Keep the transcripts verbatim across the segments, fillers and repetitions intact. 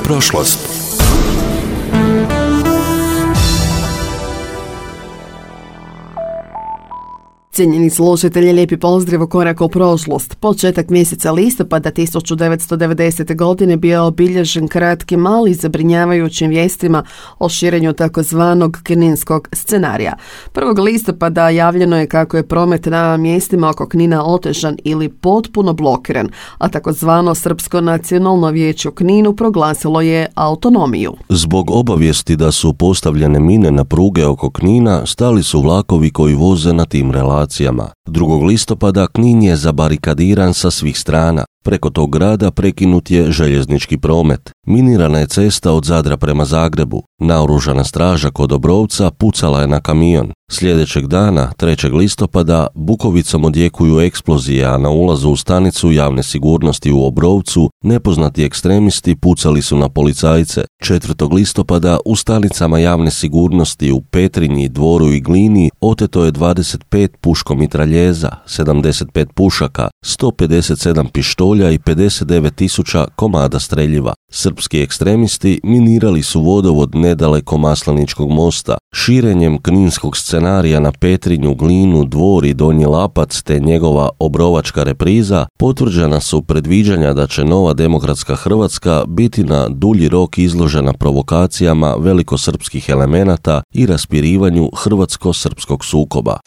prošlost. Cijenjeni slušatelji, lijepi pozdrav u Korak u prošlost. Početak mjeseca listopada tisuću devetsto devedesete. godine bio obilježen kratkim, ali zabrinjavajućim vijestima o širenju takozvanog kninskog scenarija. prvog listopada javljeno je kako je promet na mjestima oko Knina otežan ili potpuno blokiran, a takozvano Srpsko nacionalno vijeće u Kninu proglasilo je autonomiju. Zbog obavijesti da su postavljene mine na pruge oko Knina, stali su vlakovi koji voze na tim relacijama. drugog listopada Knin je zabarikadiran sa svih strana. Preko tog grada prekinut je željeznički promet. Minirana je cesta od Zadra prema Zagrebu. Naoružana straža kod Obrovca pucala je na kamion. Sljedećeg dana, trećeg listopada, Bukovicom odjekuju eksplozije, a na ulazu u stanicu javne sigurnosti u Obrovcu nepoznati ekstremisti pucali su na policajce. četvrtog listopada u stanicama javne sigurnosti u Petrinji, Dvoru i Glini oteto je dvadeset pet puškomitraljeza, sedamdeset pet pušaka, sto pedeset sedam pištolja i pedeset devet tisuća komada streljiva. Srpski ekstremisti minirali su vodovod nedaleko Masleničkog mosta. Širenjem kninskog scenarija na Petrinju, Glinu, Dvor i Donji Lapac te njegova obrovačka repriza potvrđena su predviđanja da će nova demokratska Hrvatska biti na dulji rok izložena provokacijama velikosrpskih elemenata i raspirivanju hrvatsko-srpskog sukoba.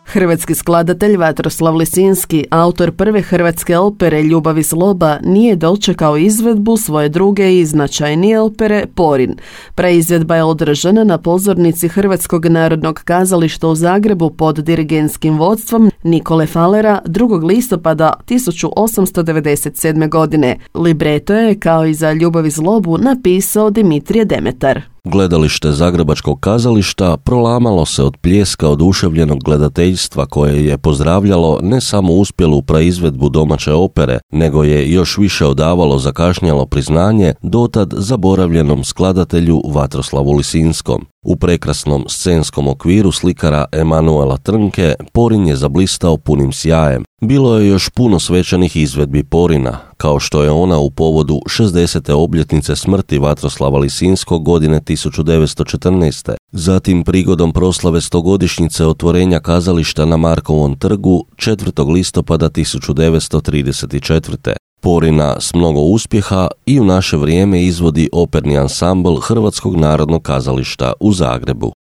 Hrvatski skladatelj Vatroslav Lisinski, autor prve hrvatske opere Ljubav i zloba, nije dočekao izvedbu svoje druge i značajnije opere Porin. Preizvedba je održana na pozornici Hrvatskog narodnog kazališta u Zagrebu pod dirigentskim vodstvom Nikole Falera drugog listopada tisuću osamsto devedeset sedme. godine. Libreto je, kao i za Ljubav i zlobu, napisao Dimitrije Demetar. Gledalište Zagrebačkog kazališta prolamalo se od pljeska oduševljenog gledateljstva koje je pozdravljalo ne samo uspjelu praizvedbu domaće opere, nego je još više odavalo zakašnjelo priznanje dotad zaboravljenom skladatelju Vatroslavu Lisinskom. U prekrasnom scenskom okviru slikara Emanuela Trnke Porin je zablistao punim sjajem. Bilo je još puno svečanih izvedbi Porina, kao što je ona u povodu šezdesete obljetnice smrti Vatroslava Lisinskog godine tisuću devetsto četrnaeste. Zatim prigodom proslave stogodišnjice otvorenja kazališta na Markovom trgu četvrtog listopada tisuću devetsto trideset četvrte. Porina s mnogo uspjeha i u naše vrijeme izvodi operni ansambl Hrvatskog narodnog kazališta u Zagrebu.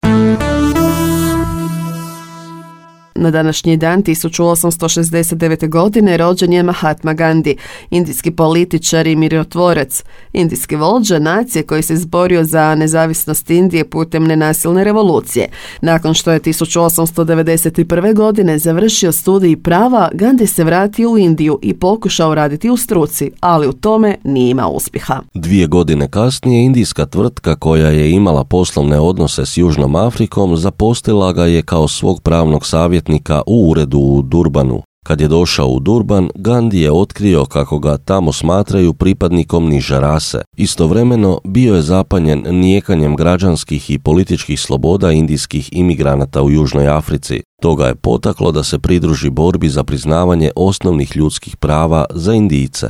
Na današnji dan tisuću osamsto šezdeset devete. godine rođen je Mahatma Gandhi, indijski političar i mirotvorac, indijski vođa nacije koji se izborio za nezavisnost Indije putem nenasilne revolucije. Nakon što je tisuću osamsto devedeset prve. godine završio studij prava, Gandhi se vratio u Indiju i pokušao raditi u struci, ali u tome nije imao uspjeha. Dvije godine kasnije indijska tvrtka koja je imala poslovne odnose s Južnom Afrikom zaposlila ga je kao svog pravnog savjetnika u uredu u Durbanu. Kad je došao u Durban, Gandhi je otkrio kako ga tamo smatraju pripadnikom niže rase. Istovremeno bio je zapanjen nijekanjem građanskih i političkih sloboda indijskih imigranata u Južnoj Africi. To ga je potaklo da se pridruži borbi za priznavanje osnovnih ljudskih prava za Indijce.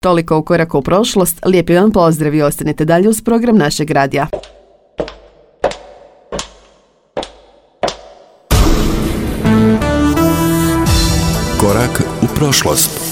Toliko u Koraku u prošlost. Lijepi vam pozdrav i ostanite dalje uz program našeg radija. Korak u prošlost.